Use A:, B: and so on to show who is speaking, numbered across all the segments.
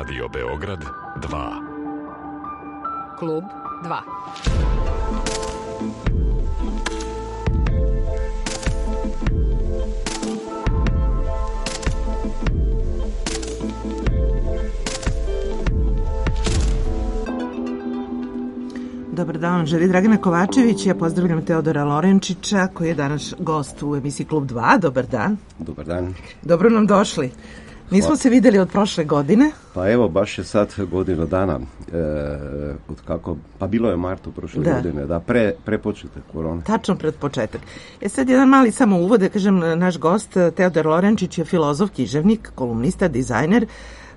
A: Radio Beograd 2.
B: Klub 2.
C: Dobar dan, želi Dragana Kovačević. Ja pozdravljam Teodora Lorenčića, koji je danas gost u emisiji Klub 2. Dobar dan.
D: Dobar dan.
C: Dobro nam došli. Nismo se videli od prošle godine.
D: Pa evo, baš je sad godinu dana od kako, pa bilo je martu prošle godine, da, pre početak korone.
C: Tačno pred početak. Sad jedan mali samo uvod, da kažem, naš gost Teodor Lorenčić je filozof, književnik, kolumnista, dizajner,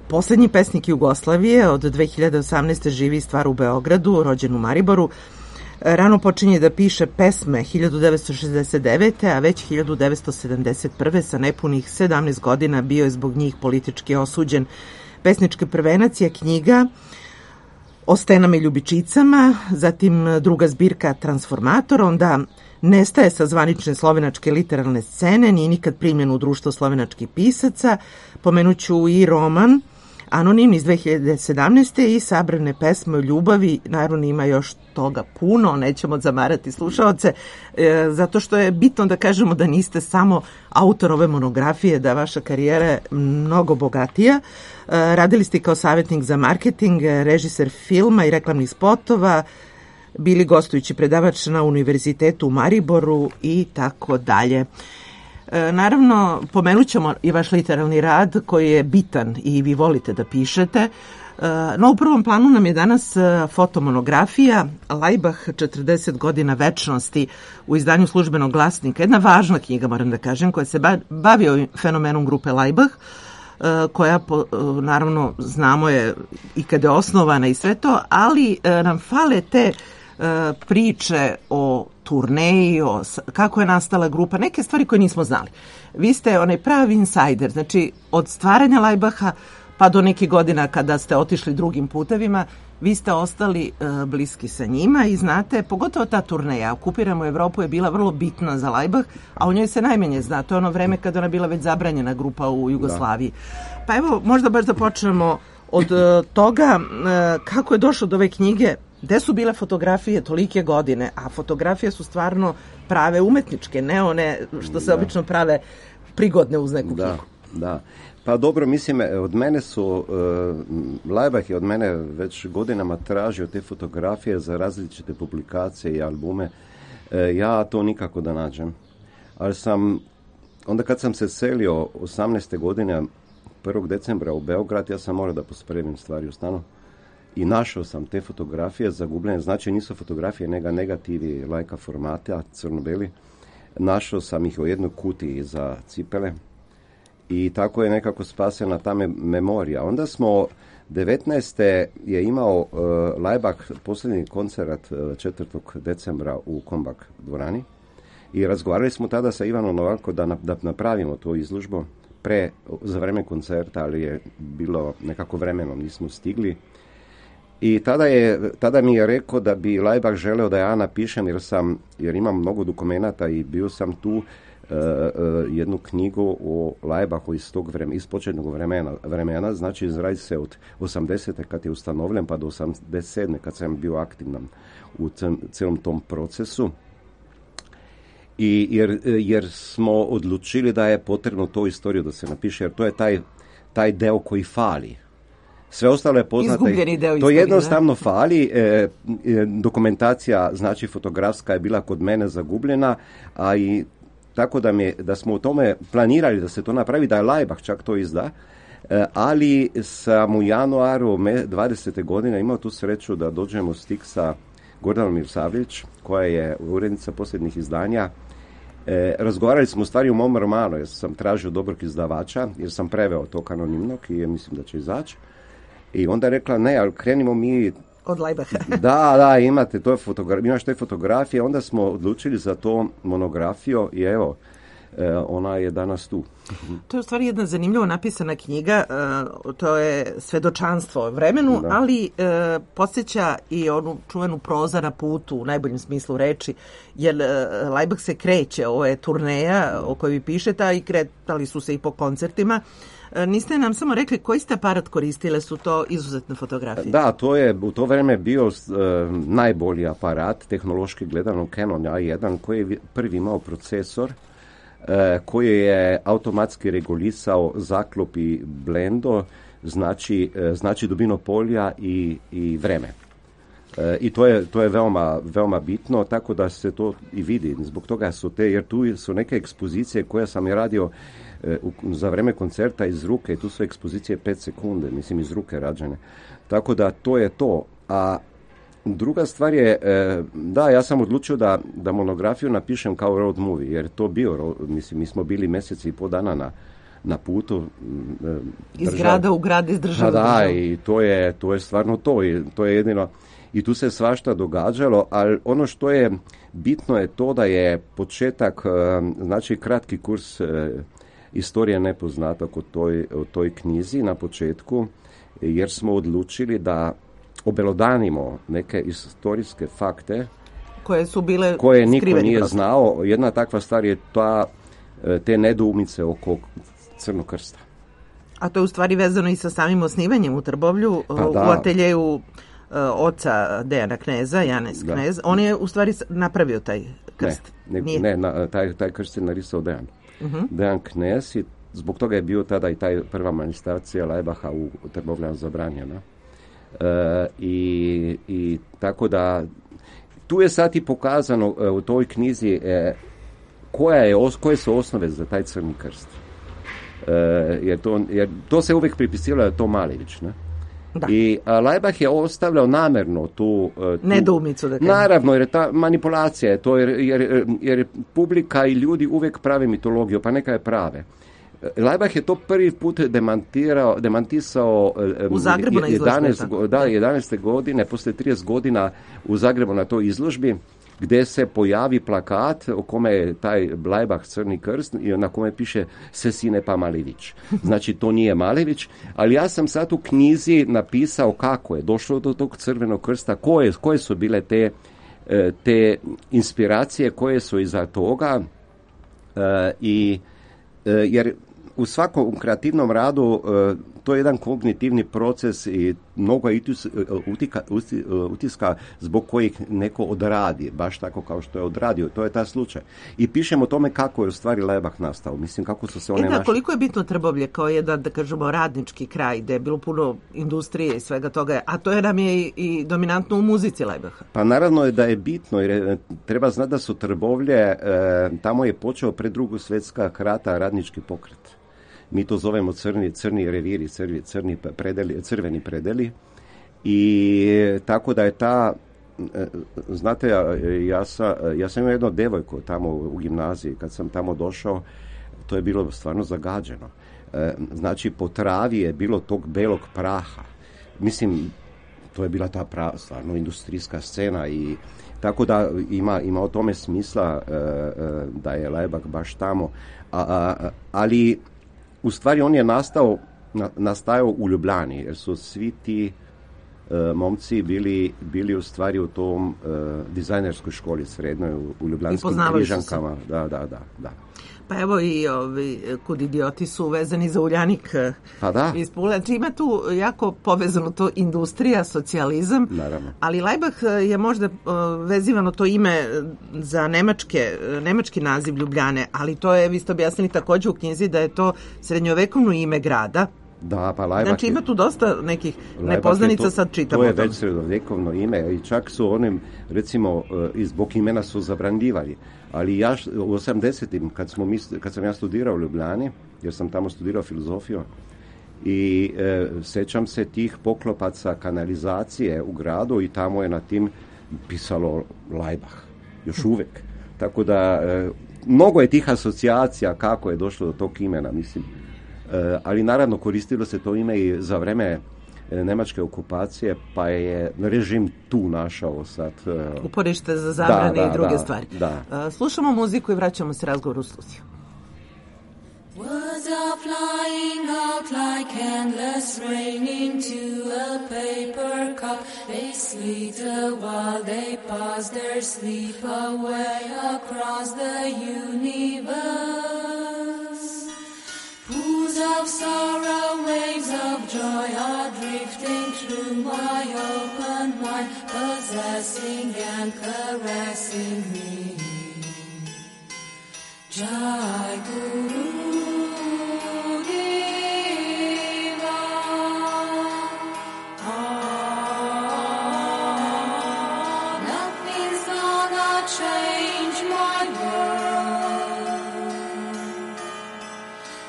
C: poslednji pesnik Jugoslavije, od 2018. živi i stvara u Beogradu, rođen u Mariboru. Rano počinje da piše pesme 1969. a već 1971. sa nepunih 17 godina bio je zbog njih politički osuđen. Pesnički prvenac je knjiga O stenama i ljubičicama, zatim druga zbirka Transformator, onda nestaje sa zvanične slovenačke literarne scene, nije nikad primljen u društvo slovenačkih pisaca. Pomenuću i roman Anonim iz 2017. i sabrane pesme o ljubavi. Naravno ima još toga puno, nećemo zamarati slušaoce, zato što je bitno da kažemo da niste samo autor ove monografije, da vaša karijera je mnogo bogatija. Radili ste kao savjetnik za marketing, režiser filma i reklamnih spotova, bili gostujući predavač na Univerzitetu u Mariboru i tako dalje. Naravno, pomenut ćemo i vaš literarni rad koji je bitan i vi volite da pišete. No, u prvom planu nam je danas fotomonografija Lajbah 40 godina večnosti u izdanju Službenog glasnika. Jedna važna knjiga, moram da kažem, koja se bavi ovim fenomenom grupe Lajbah, koja, naravno, znamo je i kada je osnovana i sve to, ali nam fale te priče o turneji, o kako je nastala grupa, neke stvari koje nismo znali. Vi ste onaj pravi insajder, znači od stvaranja Lajbaha pa do nekih godina kada ste otišli drugim putevima, vi ste ostali bliski sa njima i znate, pogotovo ta turneja Okupiramo Evropu je bila vrlo bitna za Lajbah, a o njoj se najmanje zna. To je ono vreme kada ona bila već zabranjena grupa u Jugoslaviji. Da. Pa evo, možda baš da počnemo od toga kako je došlo do ove knjige. Gde su bile fotografije tolike godine, a fotografije su stvarno prave umetničke, ne one što se obično prave prigodne uz neku knjigu.
D: Da. Pa dobro, mislim, od mene su, Lajbah je od mene već godinama tražio te fotografije za različite publikacije i albume. Ja to nikako da nađem. Ali onda kad sam se selio 18. godine, 1. decembra u Beograd, ja sam morao da pospremim stvari u stanu. I našao sam te fotografije zagubljene, znači nisu fotografije, nego negativi lajka formata, crno-beli. Našao sam ih u jednoj kutiji za cipele i tako je nekako spasena ta memorija. Onda smo 19. je imao Lajbah posljednji koncert 4. decembra u Kombak dvorani i razgovarali smo tada sa Ivanom Novakom da napravimo to izložbu za vreme koncerta, ali je bilo nekako vremenom, nismo stigli. I tada mi je rekao da bi Lajbah želeo da ja napišem, jer imam mnogo dokumenata i bio sam tu jednu knjigu o Lajbahu iz tog vremena, iz početnog vremena, znači radi se od 80. kad je ustanovljen pa do 87. kad sam bio aktivan u celom tom procesu. I jer smo odlučili da je potrebno to istoriju da se napiše, jer to je taj deo koji fali. Sve ostalo je poznato. To jednostavno fali. Dokumentacija, znači fotografska, je bila kod mene zagubljena, a i tako da smo u tome planirali da se to napravi, da je Lajbah čak to izda, ali sam u januaru 20. godine imao tu sreću da dođemo u stik sa Gordanom Mirsavljević, koja je urednica posljednjih izdanja. Razgovarali smo u stvari u mom romanu, jer sam tražio dobrog izdavača, jer sam preveo to anonimnog i mislim da će izaći. I onda je rekla, ne, ali krenimo mi
C: od Lajbaha.
D: Da, imaš te fotografije. Onda smo odlučili za to monografiju i evo, ona je danas tu.
C: To je u stvari jedna zanimljivo napisana knjiga, to je svedočanstvo o vremenu, ali podsjeća i onu čuvenu Proza na putu u najboljem smislu reči, jer Laibach se kreće, ovo je turneja o kojoj vi pišete, i kretali su se i po koncertima. Niste nam samo rekli koji ste aparat koristile, su to izuzetne fotografije?
D: Da, to je u to vreme bio najbolji aparat, tehnološki gledano Canon A1, koji je prvi imao procesor, koji je automatski regulisao zaklop i blendo, znači dubino polja i vreme. I to je veoma bitno, tako da se to i vidi. Zbog toga su jer tu su neke ekspozicije koje sam je radio za vreme koncerta iz ruke, tu su ekspozicije 5 sekunde, mislim iz ruke rađene. Tako da to je to. A druga stvar je, ja sam odlučio da monografiju napišem kao road movie, jer to bio, mislim, mi smo bili mjeseci i pol dana na putu.
C: Iz grada u grad, iz države.
D: Da, i to je stvarno to, i to je jedino. I tu se svašta događalo, ali ono što je bitno je to da je početak, znači kratki kurs Istorija nepoznatog o toj knjizi na početku, jer smo odlučili da obelodanimo neke historijske fakte
C: koje su bile
D: koje niko nije znao. Jedna takva stvar je te nedoumice oko Crnog krsta.
C: A to je u stvari vezano i sa samim osnivanjem u Trbovlju, u ateljeju oca Dejana Kneza, Janez Knez. On je u stvari napravio taj krst.
D: Taj krst je narisao Dejan. Dejan Knez, i zbog toga je bio tada i taj prva manifestacija Laibacha u Trbovljanu zabranjena. I tako da tu je sad i pokazano u toj knjizi koje su osnove za taj Crni krst. Jer to se uvijek pripisilo da to Malević, ne?
C: Da.
D: I Laibach je ostavljao namjerno tu
C: nedoumicu, da kažem.
D: Naravno, jer ta manipulacija je to, jer publika i ljudi uvijek prave mitologiju, pa neka je prave. Laibach je to prvi put demantisao
C: u Zagrebu na izložbi.
D: 11. godine, poslije 30 godina u Zagrebu na toj izložbi, gdje se pojavi plakat o kome je taj Laibach Crni krst i na kome piše se sine pa Malević. Znači to nije Malević, ali ja sam sad u knjizi napisao kako je došlo do tog Crvenog krsta, koje su bile te inspiracije koje su iza toga, jer u svakom kreativnom radu to je jedan kognitivni proces i mnogo je utiska zbog kojih neko odradi, baš tako kao što je odradio. To je ta slučaj. I pišemo o tome kako je u stvari Laibach nastao. Mislim, kako su se one
C: koliko je bitno Trbovlje kao jedan, da kažemo, radnički kraj, gde je bilo puno industrije i svega toga, a to je nam je i dominantno u muzici Laibacha.
D: Pa naravno je da je bitno, jer treba znati da su Trbovlje, tamo je počeo pred Drugu svjetska rata radnički pokret. Mi to zovemo crni reviri, crveni predeli. I tako da je znate, ja sam imao jednu devojku tamo u gimnaziji, kad sam tamo došao, to je bilo stvarno zagađeno. Znači, po travi je bilo tog belog praha. Mislim, to je bila ta stvarno industrijska scena i tako da ima o tome smisla da je Laibach baš tamo. Ali u stvari on je nastajao u Ljubljani, jer su svi ti momci bili u stvari u tom dizajnerskoj školi srednjoj u Ljubljanskim Križankama. Da.
C: Pa evo i Kud idioti su vezani za Uljanik.
D: Pa da.
C: Znači ima tu jako povezano to industrija, socijalizam.
D: Naravno.
C: Ali Laibach je možda vezivano to ime za nemački naziv Ljubljane, ali to je, vi ste objasnili također u knjizi, da je to srednjovekovno ime grada.
D: Da, pa Laibach
C: znači ima tu dosta nekih nepoznanica, sad čitamo.
D: To je već srednjovekovno ime i čak su onim, recimo, zbog imena su zabranjivali. Ali ja u 80-im, kad sam ja studirao u Ljubljani, jer sam tamo studirao filozofiju, i sećam se tih poklopaca kanalizacije u gradu i tamo je na tim pisalo Laibach, još uvijek. Tako da, mnogo je tih asocijacija kako je došlo do tog imena, mislim. Ali naravno koristilo se to ime i za vreme nemačke okupacije, pa je režim tu našao sad
C: uporište za zabrane i druge stvari. Slušamo muziku i vraćamo se razgovor u studiju.
E: are flying out like endless rain into a paper cup. They slither while they pass their sleep away across the universe. Pools of sorrow, waves of joy are drifting through my open mind, possessing and caressing me. Jai Guru Deva, nothing's gonna change my world.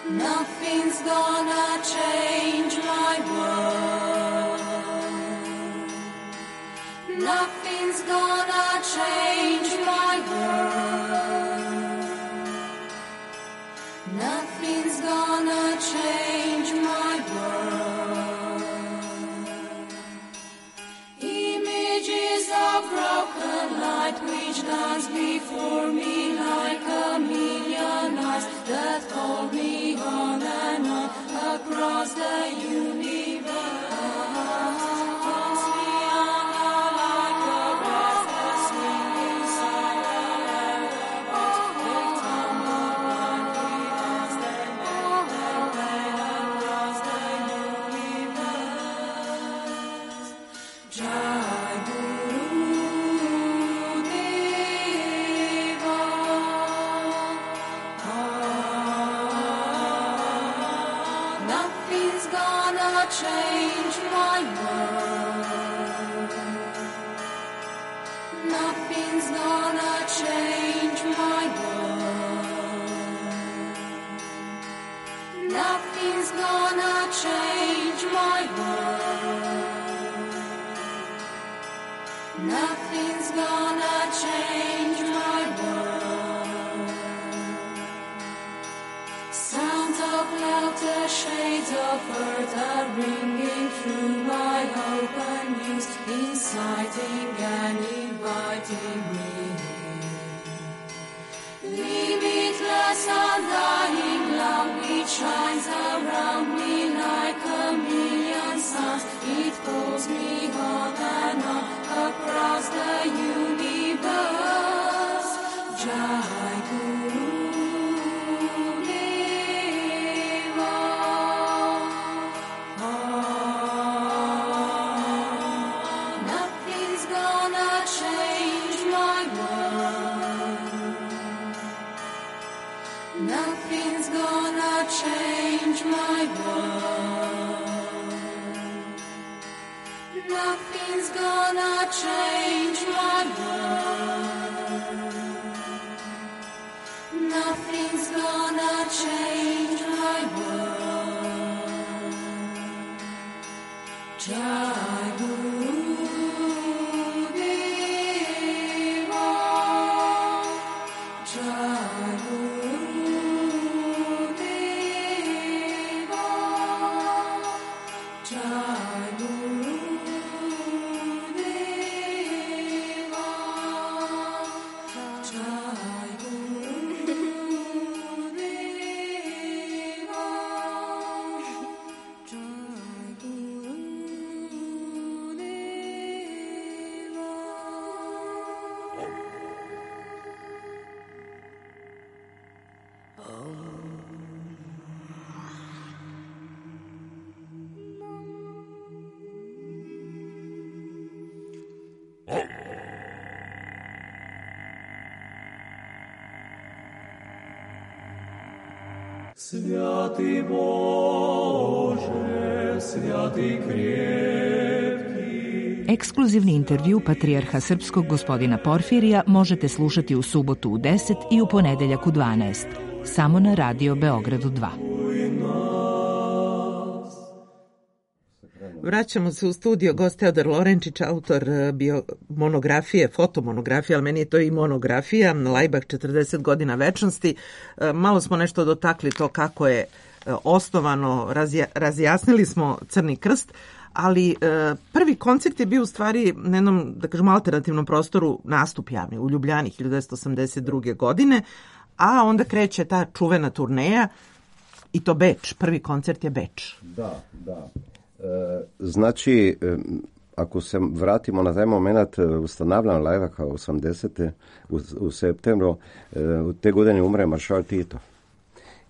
E: Nothing's gonna change my world. Nothing's gonna change my world. Nothing's gonna change my world. Images of broken light which dance before me like a million eyes that hold me on and on across the universe. Toss me under like a restless wind inside a land above. They tumble blindly as they make their way across the universe. Jai Guru Deva. Nothing's gonna change my world. Nothing's gonna change my world. Nothing's gonna change my world. Nothing's gonna change my world. Sounds of laughter, shades of earth are ringing through my open ears, inciting and inviting me. Limitless, undying love, it shines around me like a million suns. It pulls me on and on across the universe. Jai Guru Deva. Nothing's gonna change my world. Nothing's gonna change my world. Nothing's gonna change my world. Nothing's gonna change my world. Jai Guru Deva. Jai Guru Deva. Jai Guru Deva. Jai Guru Deva. Jai Guru
F: Святый Боже, святый крепкий.
B: Ekskluzivni intervju patrijarha srpskog gospodina Porfirija možete slušati u subotu u 10 i u ponedeljak u 12. Samo na Radio Beogradu 2.
C: Vraćamo se u studio, gost Teodor Lorenčić, autor monografije, fotomonografije, ali meni je to i monografija, Laibach 40 godina večnosti. Malo smo nešto dotakli to kako je osnovano, razjasnili smo Crni krst, ali prvi koncert je bio u stvari na jednom, da kažemo, alternativnom prostoru, nastup javni u Ljubljani 1982. godine, a onda kreće ta čuvena turneja I to Beč, prvi koncert je Beč.
D: Da. Znači, ako se vratimo na taj moment ustanavljanja Laibacha 80. u septembru, te godine umre maršal Tito.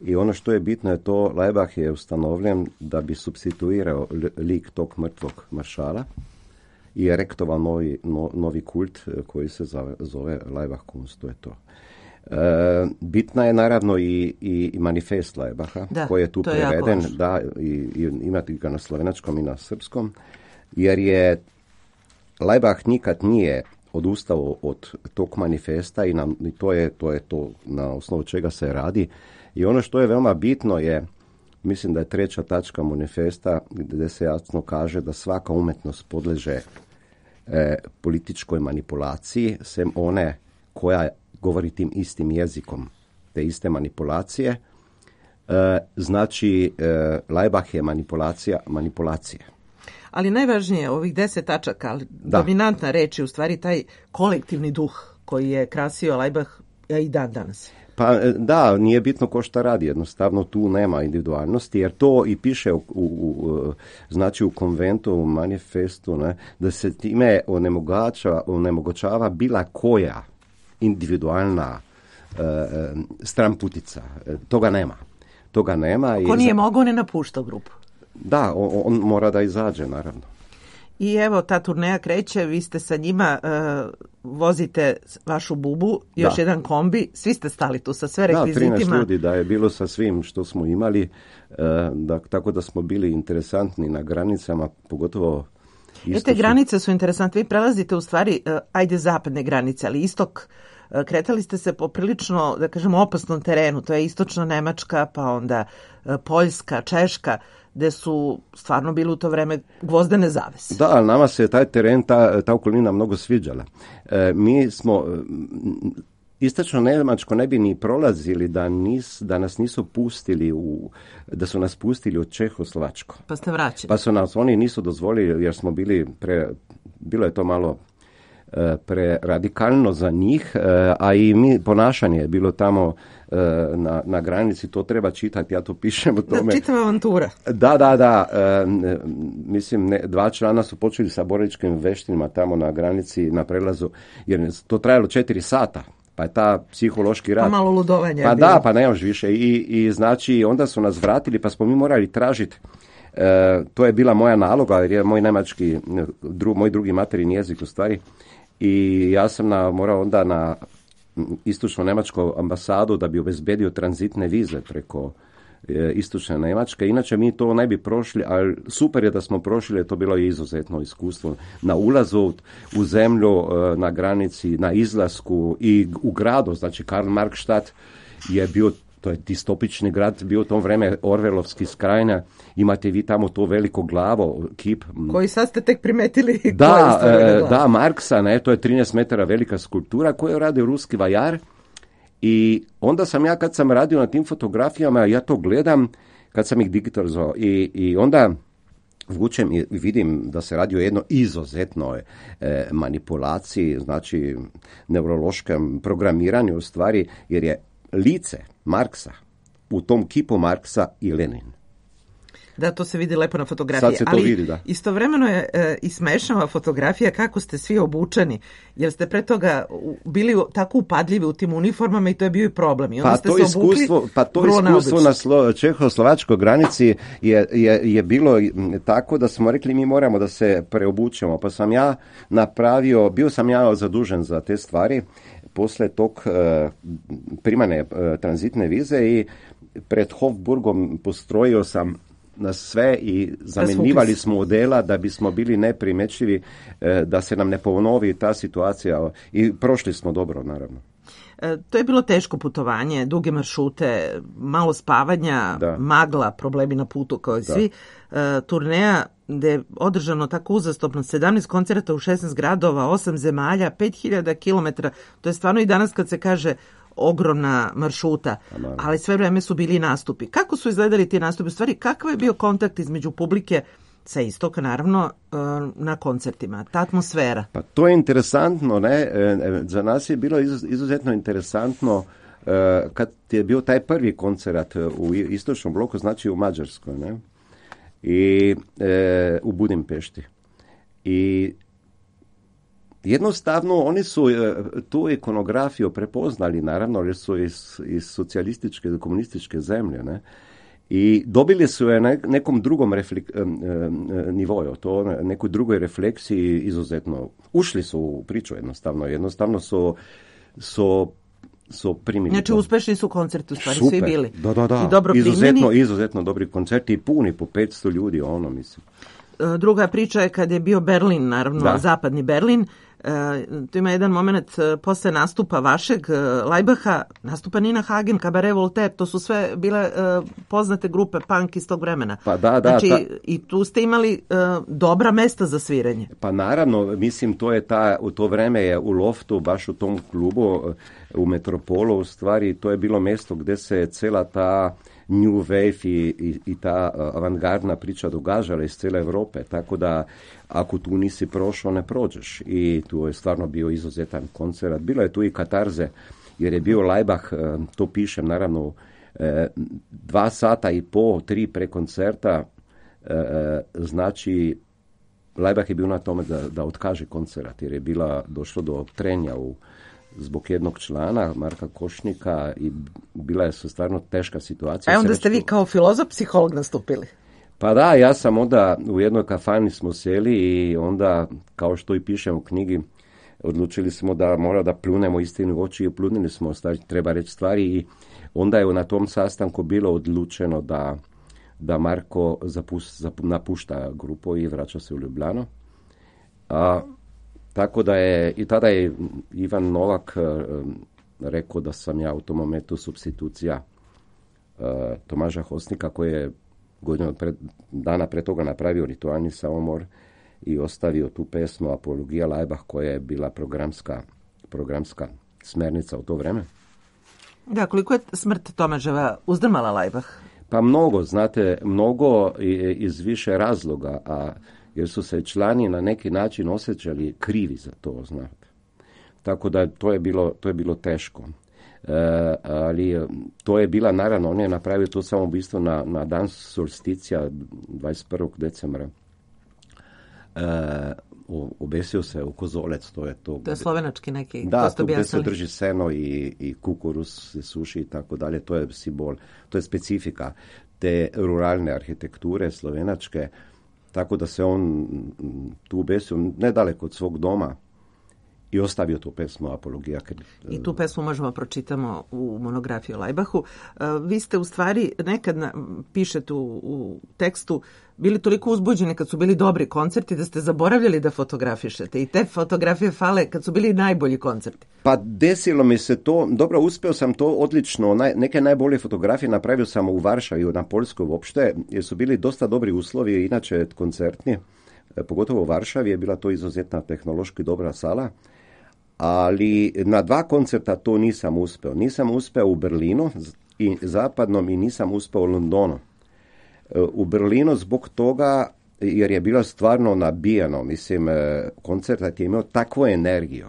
D: I ono što je bitno je to, Laibach je ustanovljen da bi supstituirao lik tog mrtvog maršala i erektovao novi kult koji se zove Laibach Kunst, to je to. Bitna je naravno i manifest Laibacha koji je tu preveden, i imate ga na slovenačkom i na srpskom, jer je Laibach nikad nije odustao od tog manifesta i to je to na osnovu čega se radi. I ono što je veoma bitno je, mislim da je 3. tačka manifesta gdje se jasno kaže da svaka umetnost podleže političkoj manipulaciji, sem one koja govori tim istim jezikom, te iste manipulacije. Znači, Laibach je manipulacija.
C: Ali najvažnije je ovih 10 tačaka, ali dominantna reč je u stvari taj kolektivni duh koji je krasio Laibach i dan danas.
D: Pa da, nije bitno ko šta radi, jednostavno tu nema individualnosti, jer to i piše znači u konventu, u manifestu, ne, da se time onemogućava bila koja individualna stramputica. Toga nema.
C: Ko nije mogao, ne napušta grupu.
D: Da, on mora da izađe, naravno.
C: I evo, ta turneja kreće, vi ste sa njima, vozite vašu bubu, još jedan kombi, svi ste stali tu sa sve rekvizitima.
D: Da, 13 ljudi da je bilo sa svim što smo imali, tako da smo bili interesantni na granicama, pogotovo istočni.
C: Te granice su interesantne, vi prelazite u stvari, zapadne granice, ali istok, kretali ste se po prilično, da kažemo, opasnom terenu, to je istočna Nemačka, pa onda Poljska, Češka, gde su stvarno bili u to vreme gvozdene zavese.
D: Da, ali nama se taj teren, ta okolina mnogo sviđala. Mi smo, istočno Nemačko ne bi ni prolazili da nas nisu pustili, da su nas pustili u Čehoslovačko.
C: Pa ste vraćeni.
D: Pa su nas oni nisu dozvolili jer smo bili bilo je to malo preradikalno za njih, a i ponašanje je bilo tamo na granici, to treba čitati, ja to pišem o tome.
C: Da, čitava avantura.
D: Da. Mislim, 2 člana su počeli sa borilačkim veštinama tamo na granici, na prelazu, jer to trajalo 4 sata. Pa je ta psihološki rad.
C: Pa malo ludovanja.
D: Pa da, pa ne još više. I znači, onda su nas vratili, pa smo mi morali tražiti. To je bila moja naloga, jer je moj nemački, moj drugi materin jezik u stvari. I ja sam morao onda na istočno Nemačku ambasadu da bi obezbedio tranzitne vize preko istočne Njemačke. Inače mi to ne bi prošli, ali super je da smo prošli, to bilo izuzetno iskustvo. Na ulazu u zemlju, na granici, na izlasku i u gradu, znači Karl-Marx-Stadt je bio, to je distopični grad, bio u tom vreme Orvelovski skrajna, imate vi tamo to veliko glavo, kip.
C: Koji sad ste tek primetili.
D: Da, Marksa, ne, to je 13 metara velika skulptura koju radi ruski vajar. I onda sam ja, kad sam radio na tim fotografijama, ja to gledam, kad sam ih digitalizovao i onda vučem i vidim da se radi o jednoj izuzetnoj manipulaciji, znači neurološkom programiranju u stvari, jer je lice Marksa u tom kipu Marksa i Lenin.
C: Da, to se vidi lepo na fotografiji.
D: Sad se to
C: ali
D: vidi, da.
C: Istovremeno je i smešava fotografija kako ste svi obučeni, jer ste pre toga bili tako upadljivi u tim uniformama i to je bio i problem. I onda ste se obukli
D: iskustvo na čehoslovačkoj granici je bilo tako da smo rekli mi moramo da se preobučemo. Pa sam ja bio sam ja zadužen za te stvari posle tog primane tranzitne vize i pred Hofburgom postrojio sam na sve i zamenjivali smo odela da bismo bili neprimećivi, da se nam ne ponovi ta situacija i prošli smo dobro, naravno.
C: To je bilo teško putovanje, duge maršrute, malo spavanja, magla, problemi na putu kao i svi. Turneja gde je održano tako uzastopno 17 koncerata u 16 gradova, 8 zemalja, 5000 km. To je stvarno i danas kad se kaže ogromna maršruta, ali sve vreme su bili nastupi. Kako su izgledali ti nastupi? U stvari, kakav je bio kontakt između publike sa istoka, naravno, na koncertima? Ta atmosfera?
D: Pa to je interesantno, ne? Za nas je bilo izuzetno interesantno kad je bio taj prvi koncert u istočnom bloku, znači u Mađarskoj, ne? I u Budimpešti. I jednostavno oni su tu ikonografiju prepoznali, naravno, jer su iz socijalističke, komunističke zemlje, ne? I dobili su je na nekom drugom nivoju, to nekoj drugoj refleksiji izuzetno. Ušli su u priču jednostavno su primili.
C: Znači, uspešni su koncerti, u stvari,
D: super.
C: Svi bili.
D: Da.
C: I dobro primljeni.
D: Izuzetno dobri koncerti i puni po 500 ljudi, mislim.
C: Druga priča je kad je bio Berlin, naravno, zapadni Berlin. Tu ima jedan moment posle nastupa vašeg, Lajbaha, nastupa Nina Hagen, Cabaret Voltaire, to su sve bile poznate grupe punk iz tog vremena.
D: Pa da.
C: Znači, i tu ste imali dobra mesta za sviranje.
D: Pa naravno, mislim, u to vreme je u Loftu, baš u tom klubu, u Metropolu, u stvari, to je bilo mesto gde se cela ta New Wave i ta avangardna priča događala iz cijele Evrope, tako da ako tu nisi prošao, ne prođeš. I tu je stvarno bio izuzetan koncert. Bilo je tu i katarze, jer je bio Laibach, to pišem naravno, 2 sata i pol, 3 pre koncerta, znači Laibach je bio na tome da otkaže koncert, jer je došlo do trenja zbog jednog člana, Marka Košnika, i bila je stvarno teška situacija.
C: A onda ste vi kao filozof, psiholog nastupili?
D: Pa da, ja sam onda u jednoj kafani smo sjeli i onda, kao što i pišem u knjigi, odlučili smo da mora da pljunemo istinu u oči i pljunili smo, treba reći stvari, i onda je na tom sastanku bilo odlučeno da Marko napušta grupu i vraća se u Ljubljano. Tako da je, i tada je Ivan Novak rekao da sam ja u tom momentu supstitucija Tomaža Hosnika, koji je godinu dana pre toga napravio ritualni saumor i ostavio tu pesmu Apologija Laibach, koja je bila programska smernica u to vreme.
C: Da, koliko je smrt Tomaževa uzdrmala Laibach?
D: Pa mnogo, znate, mnogo iz više razloga, jer su se člani na neki način osjećali krivi za to, znate. Tako da to je bilo teško. Ali to je bila, naravno, on je napravio to samoubistvo na dan solsticija 21. decembra. Obesio se u kozolec, to je to.
C: To je slovenački neki.
D: Da, to gde se drži seno i kukuruz se suši i tako dalje, to je simbol, to je specifika te ruralne arhitekture slovenačke, tako da se on tu obesio nedaleko od svog doma i ostavio tu pesmu Apologija.
C: I tu pesmu možemo pročitamo u monografiji o Lajbahu. Vi ste u stvari nekad pišete u tekstu bili toliko uzbuđeni kad su bili dobri koncerti da ste zaboravljali da fotografišete i te fotografije fale kad su bili najbolji koncerti.
D: Pa desilo mi se to, dobro, uspeo sam to odlično, neke najbolje fotografije napravio sam u Varšavi, na Poljskoj uopšte, jer su bili dosta dobri uslovi, inače koncertni, pogotovo u Varšavi je bila to izuzetna tehnološki dobra sala, ali na 2 koncerta to nisam uspeo. Nisam uspeo u Berlinu i zapadnom i nisam uspeo u Londonu. U Berlinu zbog toga, jer je bilo stvarno nabijeno, mislim, koncert je imao takvu energiju.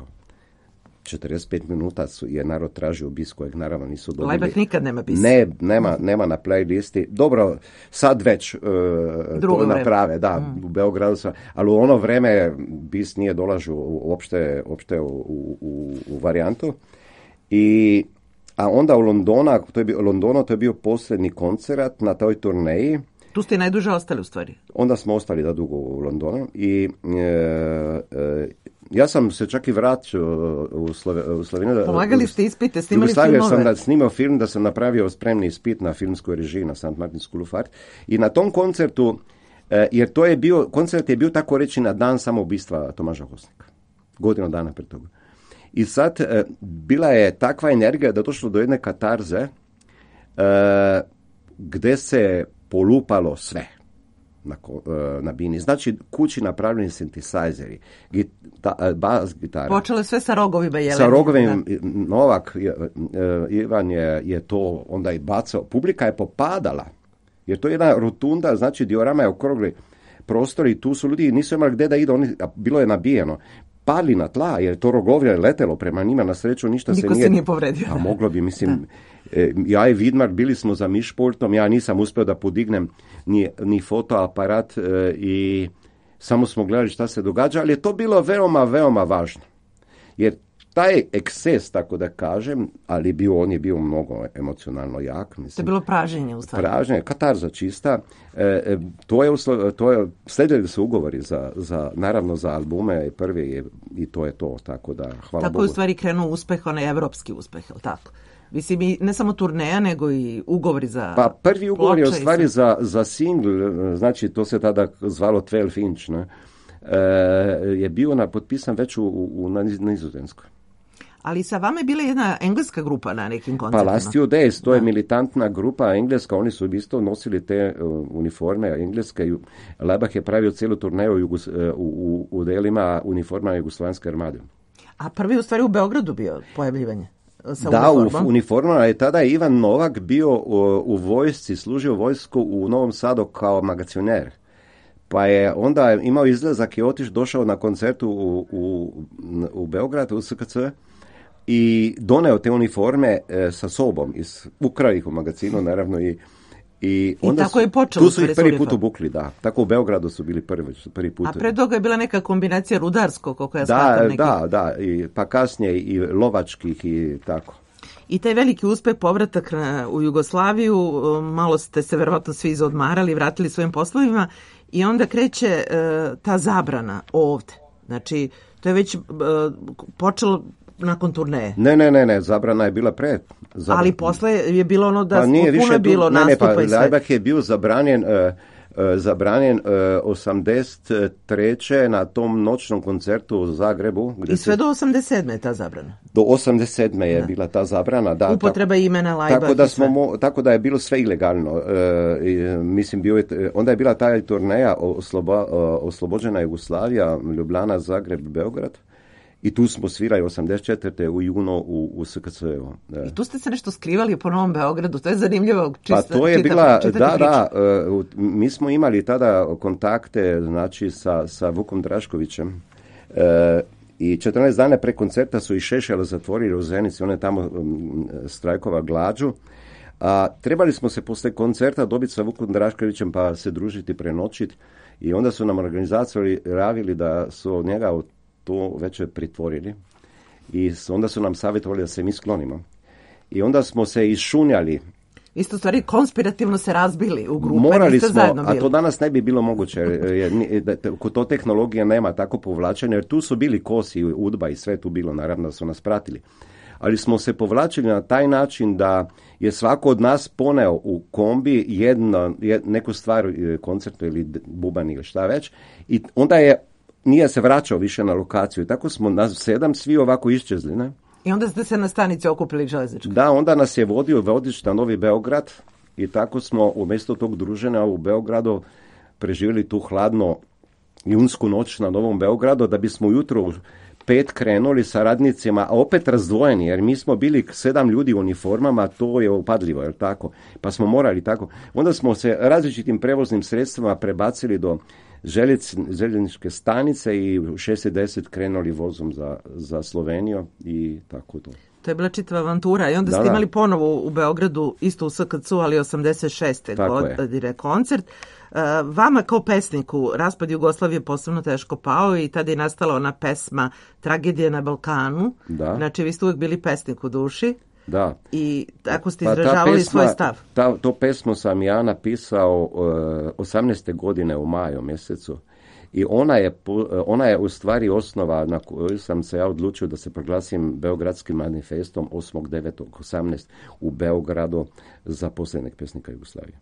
D: 45 minuta je narod tražio bis kojeg naravno nisu dobili.
C: Laibach nikad nema bis.
D: Ne, nema na playlisti. Dobro, sad već to naprave, da, u Beogradu sam, ali u ono vreme bis nije dolažio uopšte u varijantu. A onda u Londonu to je bio posljednji koncert na toj turneji.
C: Tu ste najduže ostali u stvari.
D: Onda smo ostali da dugo u Londonu i ja sam se čak i vratio u Sloveniju.
C: Polagali ste ispite, snimali filmove.
D: Sam snimao film, da sam napravio spremni ispit na filmskoj režiji na St. Martin's School of Art. I na tom koncertu, jer koncert je bio tako reći na dan samoubistva Tomaža Hosnika. Godinu dana pre toga. I sad bila je takva energija da došlo do jedne katarze gde se polupalo sve na bini. Znači, kući napravljeni synthesizeri, bas gitara.
C: Počelo sve sa rogovima jeleni.
D: Sa rogovima, Novak, Ivan je to onda i bacao. Publika je popadala, jer to je jedna rotunda, znači diorama je okrugli prostor i tu su ljudi, nisu imali gde da idu, bilo je nabijeno. pali na tla, jer to rogovlje je letelo prema njima, na sreću ništa
C: Niko se nije povredio.
D: A moglo bi, mislim, ja i Vidmar bili smo za mišportom, ja nisam uspio da podignem ni fotoaparat i samo smo gledali šta se događa, ali je to bilo veoma, veoma važno. Jer taj eksces, tako da kažem, ali on je bio mnogo emocionalno jak. Mislim.
C: To je bilo praženje u stvari.
D: Praženje, katarza čista. Sledili su ugovori naravno za albume prvi i to je to, tako da hvala Bogu.
C: Tako je u stvari krenuo uspeh, onaj evropski uspeh, je li tako? Mislim, i ne samo turneja, nego i ugovori za
D: Pa prvi ugovor je u stvari za single, znači to se tada zvalo 12 inch, ne? Je bio potpisan već na Nizozemskoj.
C: Ali sa vama je bila jedna engleska grupa na nekim koncertima.
D: Pa Last Few Days, to je militantna grupa engleska, oni su isto nosili te uniforme engleske. Laibach je pravio cijelu turneju u delima uniforma Jugoslovenske armade.
C: A prvi u stvari u Beogradu bio pojavljivanje?
D: Da, u uniformama je tada Ivan Novak bio u vojsci, služio vojsku u Novom Sadu kao magacioner. Pa je onda imao izlazak i došao na koncertu u Beogradu, u SKC, i doneo te uniforme sa sobom, ukrao ih u magazinu, naravno, i onda
C: tako je počelo.
D: Tu su ih prvi put obukli, da. Tako u Beogradu su bili prvi put.
C: A pre toga je bila neka kombinacija rudarskog, koliko ja shvatam neki.
D: Da, pa kasnije i lovačkih i tako.
C: I taj veliki uspeh, povratak u Jugoslaviju, malo ste se verovatno svi izodmarali, vratili svojim poslovima i onda kreće ta zabrana ovde. Znači, to je već počelo nakon turneje.
D: Ne, zabrana je bila pre.
C: Ali posle je bilo ono da puno je bilo nastupa i sve.
D: Laibach je bio zabranjen 83. na tom noćnom koncertu u Zagrebu.
C: I sve do 87. je ta zabrana.
D: Do 87. je bila ta zabrana. Da,
C: upotreba imena Laibach.
D: Tako da je bilo sve ilegalno. Mislim, onda je bila ta turneja Oslobođena Jugoslavija, Ljubljana, Zagreb, Beograd. I tu smo svirali 84. u junu u SKC-u.
C: I tu ste se nešto skrivali po Novom Beogradu, to je zanimljivo.
D: Pa to je mi smo imali tada kontakte, znači, sa Vukom Draškovićem. I 14 dana pre koncerta su i Šešela zatvorili u Zenici, on je tamo strajkova glađu. A trebali smo se posle koncerta dobiti sa Vukom Draškovićem pa se družiti, prenoćiti. I onda su nam organizatori javili da su njega to već pritvorili i onda su nam savjetovali da se mi sklonimo. I onda smo se išunjali.
C: Isto stvari konspirativno se razbili u grupe.
D: Morali smo, a to danas ne bi bilo moguće, jer to tehnologija nema tako povlačenja, jer tu su bili Kosi, Udba i sve tu bilo, naravno da su nas pratili. Ali smo se povlačili na taj način da je svako od nas poneo u kombi neku stvar, koncertu ili buban ili šta već, i onda nije se vraćao više na lokaciju. I tako smo nas 7 svi ovako iščezli, ne?
C: I onda ste se na stanici okupili železnički.
D: Da, onda nas je vodio vodič na Novi Beograd i tako smo umjesto tog druženja u Beogradu preživjeli tu hladno junsku noć na Novom Beogradu, da bismo ujutro u 5 krenuli sa radnicima, a opet razdvojeni, jer mi smo bili 7 ljudi u uniformama, to je upadljivo, jer tako? Pa smo morali tako. Onda smo se različitim prevoznim sredstvima prebacili do željezničke stanice i u 6:10 krenuli vozom za Sloveniju i tako to.
C: To je bila čitava avantura i onda ste imali ponovo u Beogradu, isto u SKC-u, ali 86. godine koncert. Vama kao pesniku raspad Jugoslavije posebno teško pao i tada je nastala ona pesma Tragedija na Balkanu. Da. Znači, vi ste uvijek bili pesnik u duši.
D: Da.
C: I tako ste izražavali svoj stav.
D: To pesmu sam ja napisao 18. godine u maju mjesecu i ona je u stvari osnova na koju sam se ja odlučio da se proglasim Beogradskim manifestom 8.9.18 u Beogradu za posljednjeg pesnika Jugoslavije.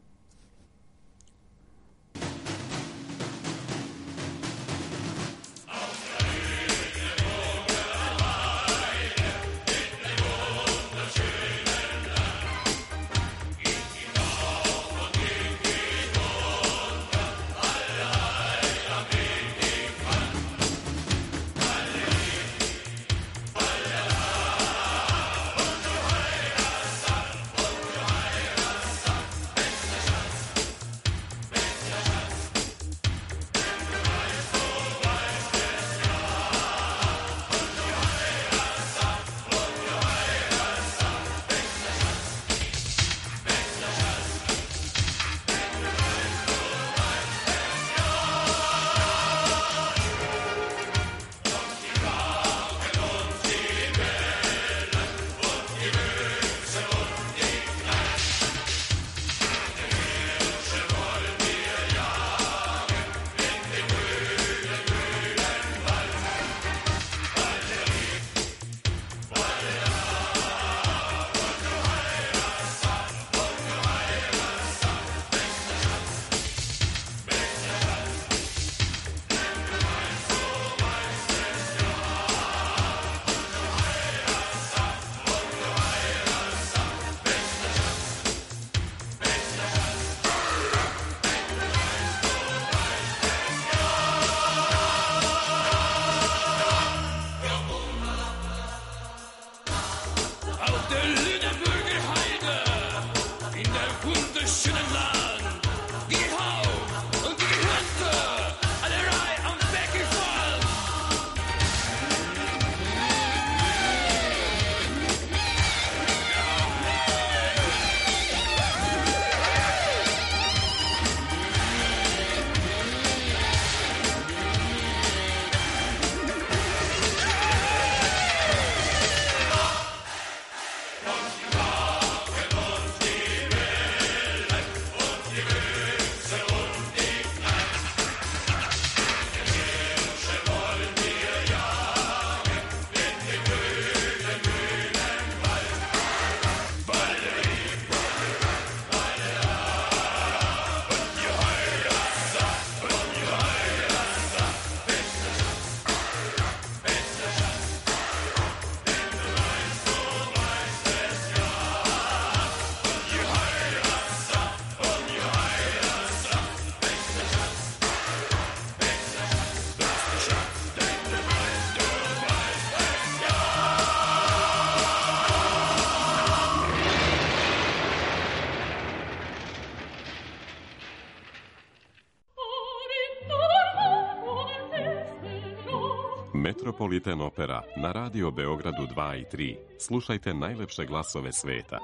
A: Metropolitan Opera na Radio Beogradu 2 i 3. Slušajte najlepše glasove sveta.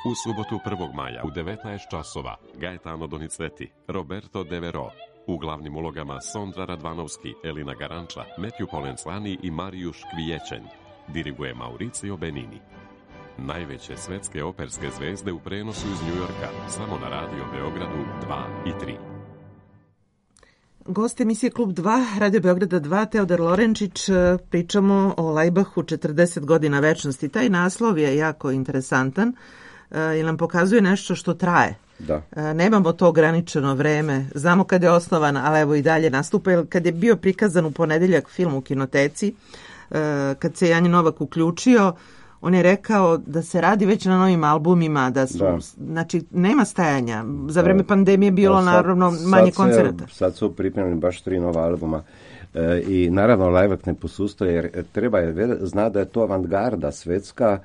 A: U subotu 1. maja u 19 časova Gaetano Donizetti, Roberto Devero. U glavnim ulogama Sondra Radvanovski, Elina Garanča, Matthew Polenzani i Marijuš Kvijećen. Diriguje Mauricio Benini. Najveće svetske operske zvezde u prenosu iz Njujorka, samo na Radio Beogradu 2 i 3.
C: Gost emisije Klub 2, Radio Beograda 2, Teodor Lorenčić. Pričamo o Lajbahu 40 godina večnosti. Taj naslov je jako interesantan jer nam pokazuje nešto što traje.
D: Da.
C: Nemamo to ograničeno vreme. Znamo kad je osnovan, ali evo i dalje nastupa. Jer kad je bio prikazan u ponedeljak film u Kinoteci, kad se Janje Novak uključio, on je rekao da se radi već na novim albumima, da su, znači, nema stajanja. Za vreme pandemije bilo naravno manje koncerata.
D: Sad su pripremljeni baš 3 nova albuma. I naravno Lajbah ne posustoje, jer treba je zna da je to avantgarda svetska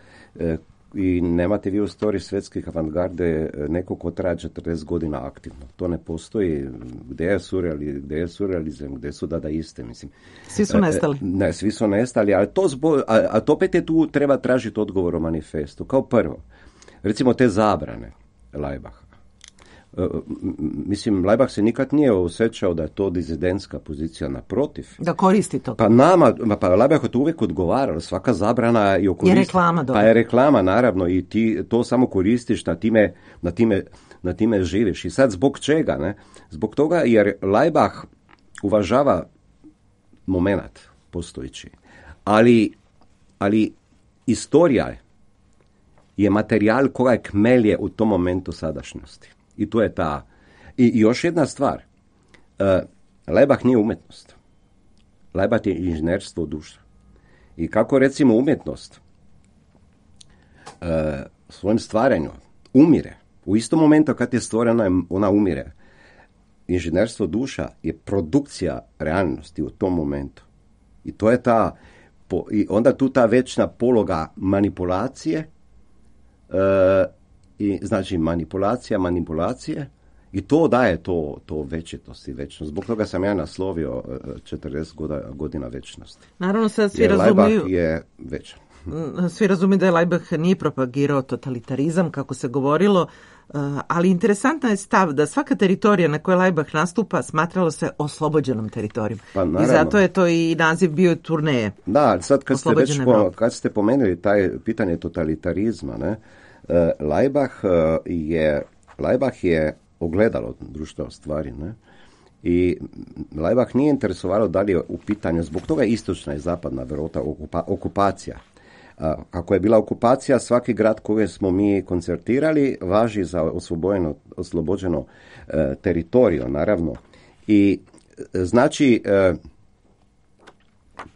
D: i nemate vi u storiji svetskih avantgarde neko ko traje 40 godina aktivno. To ne postoji. Gde je surrealizam, gde su dadaiste, mislim.
C: Svi su nestali.
D: Ne, svi su nestali, ali to opet je tu treba tražiti odgovor o manifestu. Kao prvo, recimo te zabrane Lajbaha. Mislim, Lajbah se nikad nije osjećao da je to dizidentska pozicija, naprotiv.
C: Da koristi to.
D: Pa Lajbah je to uvijek odgovaralo, svaka zabrana je okoristi.
C: Je reklama dobro.
D: Pa je reklama, naravno, i ti to samo koristiš, na time živiš. I sad zbog čega, ne? Zbog toga jer Lajbah uvažava momenat postojići. Ali istorija je materijal koja kmelje u tom momentu sadašnjosti. I to je ta. I još jedna stvar. Lajbah nije umjetnost. Lajbah je inženjerstvo duša. I kako recimo umjetnost svojim stvaranju umire. U istom momentu kad je stvorena, ona umire. Inženjerstvo duša je produkcija realnosti u tom momentu. I to je ta. I onda tu ta večna pologa manipulacije. I znači manipulacije i to daje to večitost i večnost. Zbog toga sam ja naslovio 40 godina večnosti.
C: Naravno sad svi razumiju.
D: Lajbah je večan.
C: Svi razumiju da je Lajbah nije propagirao totalitarizam, kako se govorilo, ali interesantan je stav da svaka teritorija na kojoj Lajbah nastupa smatralo se oslobođenom teritorijom.
D: Pa,
C: i zato je to i naziv bio turneje.
D: Da, sad kad ste pomenuli taj pitanje totalitarizma, ne, Lajbah je ogledalo društva stvari, ne? I Lajbah nije interesovalo da li je u pitanju, zbog toga je istočna i zapadna Evropa okupacija. Ako je bila okupacija, svaki grad koji smo mi koncertirali važi za oslobođeno teritoriju, naravno. I znači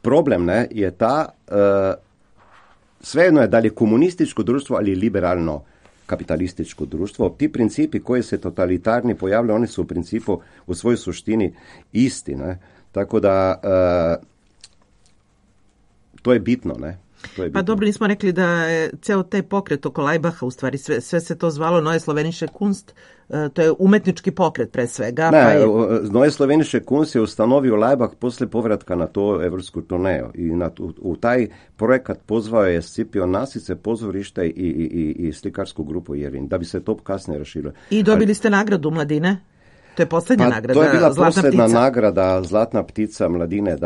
D: problem je ta svejedno je da li je komunističko društvo ali liberalno kapitalističko društvo. Ti principi koji se totalitarni pojavljaju, oni su u principu u svojoj suštini isti. Ne? Tako da to je bitno, ne?
C: Pa dobro, nismo rekli da je ceo taj pokret oko Lajbaha, u stvari sve se to zvalo Neue Slovenische Kunst, to je umetnički pokret pre svega.
D: Neue Slovenische Kunst je ustanovio Lajbah posle povratka na to evropsku turneju i u taj projekat pozvao je Scipion Nasice, pozorište i slikarsku grupu Jervin, da bi se to kasnije raširilo.
C: I dobili ste nagradu Mladine? To je posljednja nagrada,
D: to je bila
C: Zlatna
D: posljedna
C: ptica.
D: nagrada Zlatna ptica Mladine,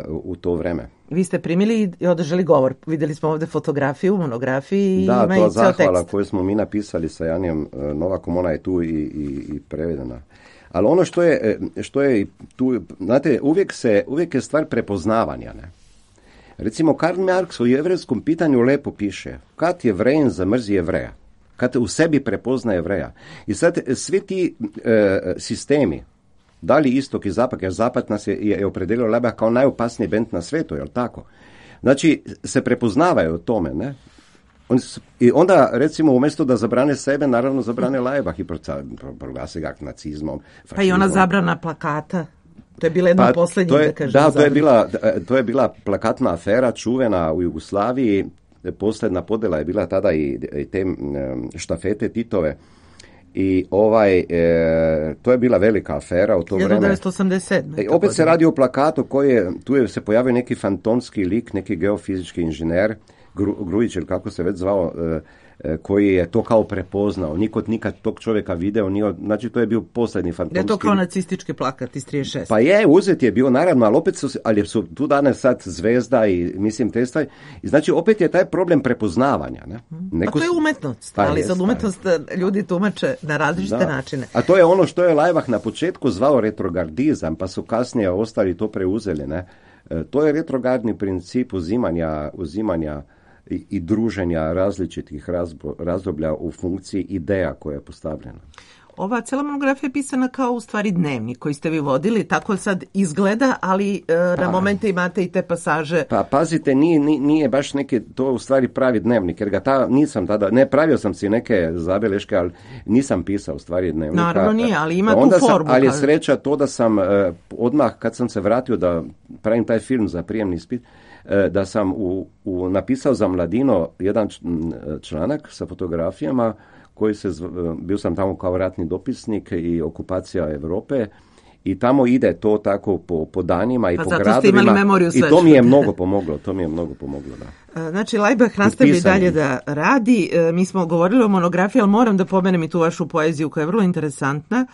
D: u to vreme.
C: Vi ste primili i održali govor. Vidjeli smo ovdje fotografiju, monografiji i ima i ceo tekst.
D: Da, to zahvala koju smo mi napisali sa Janijem Novakom, ona je tu i prevedena. Ali ono što je tu, znate, uvijek je stvar prepoznavanja, ne? Recimo, Karl Marx u jevrejskom pitanju lepo piše, kad Jevrejin zamrzi Jevreja, kad u sebi prepozna Jevreja. I sad svi ti sistemi, da li istok i zapad, jer zapad nas je opredelio Lajbah kao najopasniji bend na svetu, jel tako? Znači, se prepoznavaju o tome, ne? I onda, recimo, umjesto da zabrane sebe, naravno zabrane Lajbah i proglase ga nacizmom.
C: Pa i ona zabrana plakata. To je bila jedna posljednjih, da kažem.
D: Da, to je bila plakatna afera čuvena u Jugoslaviji. Posljedna podjela je bila tada i te štafete Titove. I to je bila velika afera u to vreme.
C: 1987.
D: Opet se radi o plakatu tu se pojavio neki fantomski lik, neki geofizički inženjer, Grujić ili kako se već zvao, koji je to kao prepoznao. Niko nikad tog čovjeka video, znači to je bio posljednji fantomski.
C: Je to kao nacistički plakat iz 36.
D: Pa uzet je bio, naravno, ali su tu danas sad zvezda i mislim te stvari. I znači opet je taj problem prepoznavanja. Ne?
C: Pa to je umetnost, ali sad umetnost ljudi tumače na različite načine.
D: A to je ono što je Laibach na početku zvao retrogardizam, pa su kasnije ostali to preuzeli. Ne? To je retrogradni princip uzimanja i druženja različitih razdoblja u funkciji ideja koja je postavljena.
C: Ova cijela monografija je pisana kao u stvari dnevnik koji ste vi vodili, tako sad izgleda, ali na momente imate i te pasaže.
D: Pa pazite, nije baš neki, to u stvari pravi dnevnik, jer nisam tada, ne pravio sam si neke zabeleške, ali nisam pisao u stvari dnevnika.
C: Naravno nije, ali ima tu formu.
D: Ali je sreća to da sam odmah kad sam se vratio da pravim taj film za prijemni ispit, da sam napisao za Mladino jedan članak sa fotografijama koji bio sam tamo kao ratni dopisnik i okupacija Europe i tamo ide to tako po danima i po gradovima i to mi je mnogo pomoglo, da.
C: Znači, Laibach nastavi dalje da radi. Mi smo govorili o monografiji, ali moram da pomenem i tu vašu poeziju koja je vrlo interesantna.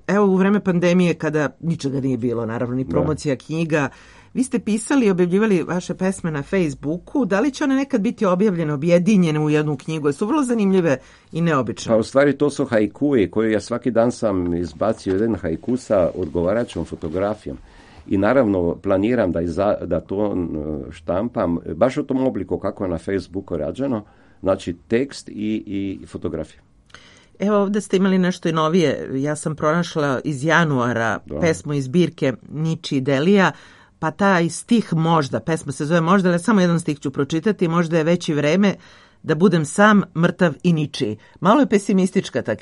C: Evo, u vreme pandemije kada ničega nije bilo, naravno, ni promocija knjiga, vi ste pisali i objavljivali vaše pesme na Facebooku. Da li će one nekad biti objavljene, objedinjene u jednu knjigu? Su vrlo zanimljive i neobične.
D: Pa u stvari to su haikui koje ja svaki dan sam izbacio jedan haiku sa odgovarajućom fotografijom. I naravno planiram da to štampam baš u tom obliku kako je na Facebooku rađeno. Znači tekst i fotografija.
C: Evo ovdje ste imali nešto i novije. Ja sam pronašla iz januara pesmu iz zbirke Niči Delija. Pa taj stih možda, pesma se zove možda, ali samo jedan stih ću pročitati, možda je već i vreme da budem sam, mrtav i ničiji. Malo je pesimistička ta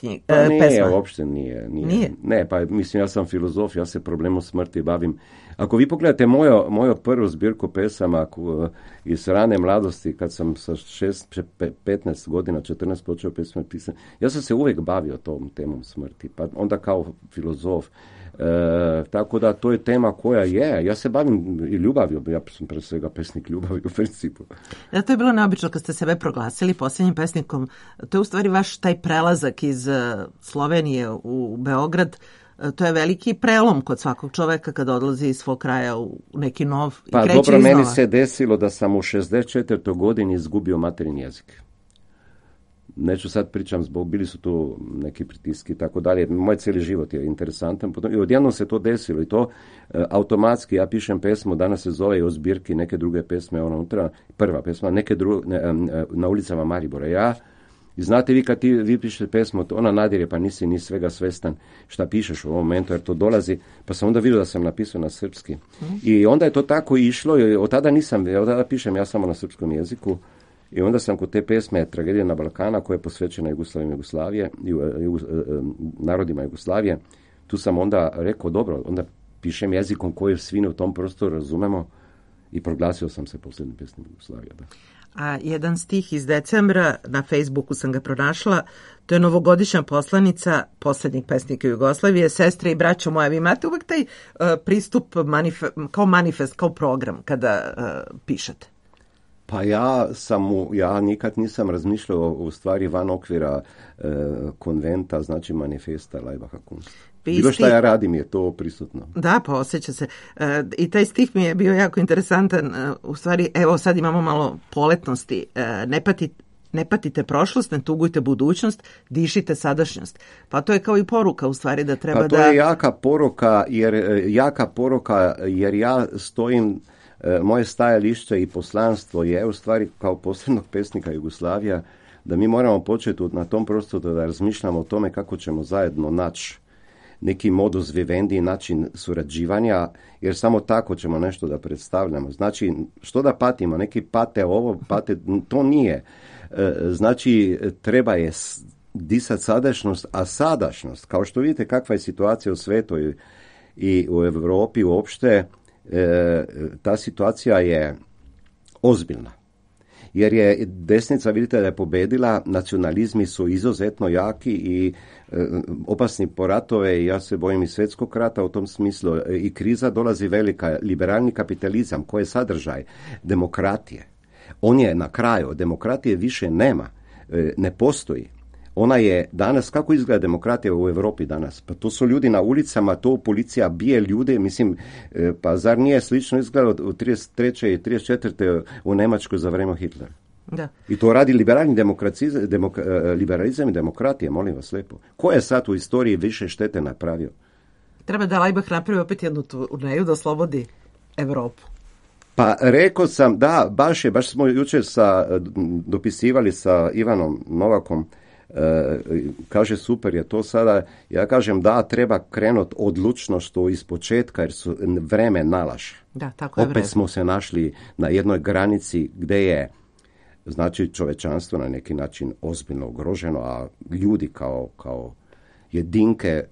C: pesma.
D: Uopšte nije. Ne, pa mislim, ja sam filozof, ja se problemom smrti bavim. Ako vi pogledate moju prvu zbirku pesama iz rane mladosti, kad sam sa 15 godina, 14 počeo pesme pisati, ja sam se uvijek bavio tom temom smrti, pa onda kao filozof. Tako da to je tema koja je. Ja se bavim i ljubavlju, ja sam pre svega pesnik ljubavi u principu.
C: Da, to je bilo neobično kad ste sebe proglasili posljednjim pesnikom. To je u stvari vaš taj prelazak iz Slovenije u Beograd. To je veliki prelom kod svakog čoveka kada odlazi iz svog kraja u neki nov i kreće iznova.
D: Pa dobro, meni se desilo da sam u 64. godini izgubio materin jezik. Neću sad pričam, bili su tu neki pritiski i tako dalje. Moj cijeli život je interesantan. I odjednom se to desilo i to automatski. Ja pišem pesmu, danas se zove i o zbirki neke druge pesme, unutra, prva pesma, na ulicama Maribora. I znate vi kad vi pišete pesmu, ona nadirje pa nisi ni svega svestan šta pišeš u ovom momentu, jer to dolazi, pa sam onda vidio da sam napisao na srpski. I onda je to tako išlo i od tada pišem ja samo na srpskom jeziku. I onda sam kod te pesme Tragedija na Balkana, koja je posvećena Jugoslavije, narodima Jugoslavije, tu sam onda rekao, dobro, onda pišem jezikom koji svi u tom prostoru razumemo i proglasio sam se posljednjim pesnik Jugoslavije. Da.
C: A jedan stih iz decembra, na Facebooku sam ga pronašla, to je novogodišnja poslanica posljednjih pesnika Jugoslavije, sestre i braćo moja. Vi imate uvek taj pristup kao manifest, kao program kada pišete?
D: Pa ja nikad nisam razmišljao u stvari van okvira konventa, znači manifesta Laibacha Kunst. Bilo što ja radim je to prisutno.
C: Da, pa osjeća se. I taj stih mi je bio jako interesantan. U stvari, evo sad imamo malo poletnosti. Ne patite prošlost, ne tugujte budućnost, dišite sadašnjost. Pa to je kao i poruka u stvari da treba da...
D: Pa to je jaka poruka jer ja stojim, moje stajalište i poslanstvo je u stvari kao posljednog pesnika Jugoslavija da mi moramo početi na tom prostoru da razmišljamo o tome kako ćemo zajedno naći neki modus vivendi, način surađivanja, jer samo tako ćemo nešto da predstavljamo. Znači, što da patimo? Neki pate ovo, to nije. Znači, treba je disati sadašnjost, a sadašnjost, kao što vidite kakva je situacija u svijetu i u Europi uopšte, ta situacija je ozbiljna. jer je desnica, vidite da je pobedila, nacionalizmi su izuzetno jaki i opasni po ratove, i ja se bojim i svjetskog rata u tom smislu, i kriza dolazi velika, liberalni kapitalizam, koji je sadržaj demokratije. On je na kraju, demokratije više nema, ne postoji. Ona je danas, kako izgleda demokratija u Europi danas? Pa to su ljudi na ulicama, to policija bije ljude, mislim, pa zar nije slično izgledalo u 33. i 34. u Njemačkoj za vrijeme Hitlera?
C: Da.
D: I to radi liberalni liberalizam i demokratija, molim vas lijepo. Ko je sad u istoriji više štete napravio?
C: Treba da Laibach napravi opet jednu turneju da oslobodi Evropu.
D: Pa rekao sam, da, baš smo jučer dopisivali sa Ivanom Novakom, kaže super je to sada, ja kažem da, treba krenut odlučno što iz početka, jer su vreme nalaže.
C: Da, tako je
D: opet
C: vreme.
D: Smo se našli na jednoj granici gdje je, znači, čovečanstvo na neki način ozbiljno ugroženo, a ljudi kao jedinke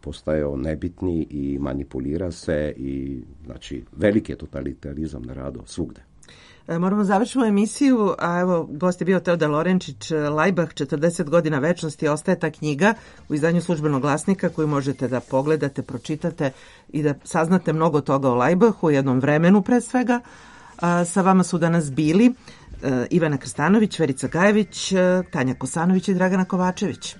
D: postaju nebitni i manipulira se, i znači veliki je totalitarizam na radu svugde.
C: Moramo završiti emisiju, a evo, gost je bio Teodor Lorenčić. Laibach, 40 godina večnosti, ostaje ta knjiga u izdanju Službenog glasnika koju možete da pogledate, pročitate i da saznate mnogo toga o Laibachu, u jednom vremenu pre svega. Sa vama su danas bili Ivana Krstanović, Verica Gajević, Tanja Kosanović i Dragana Kovačević.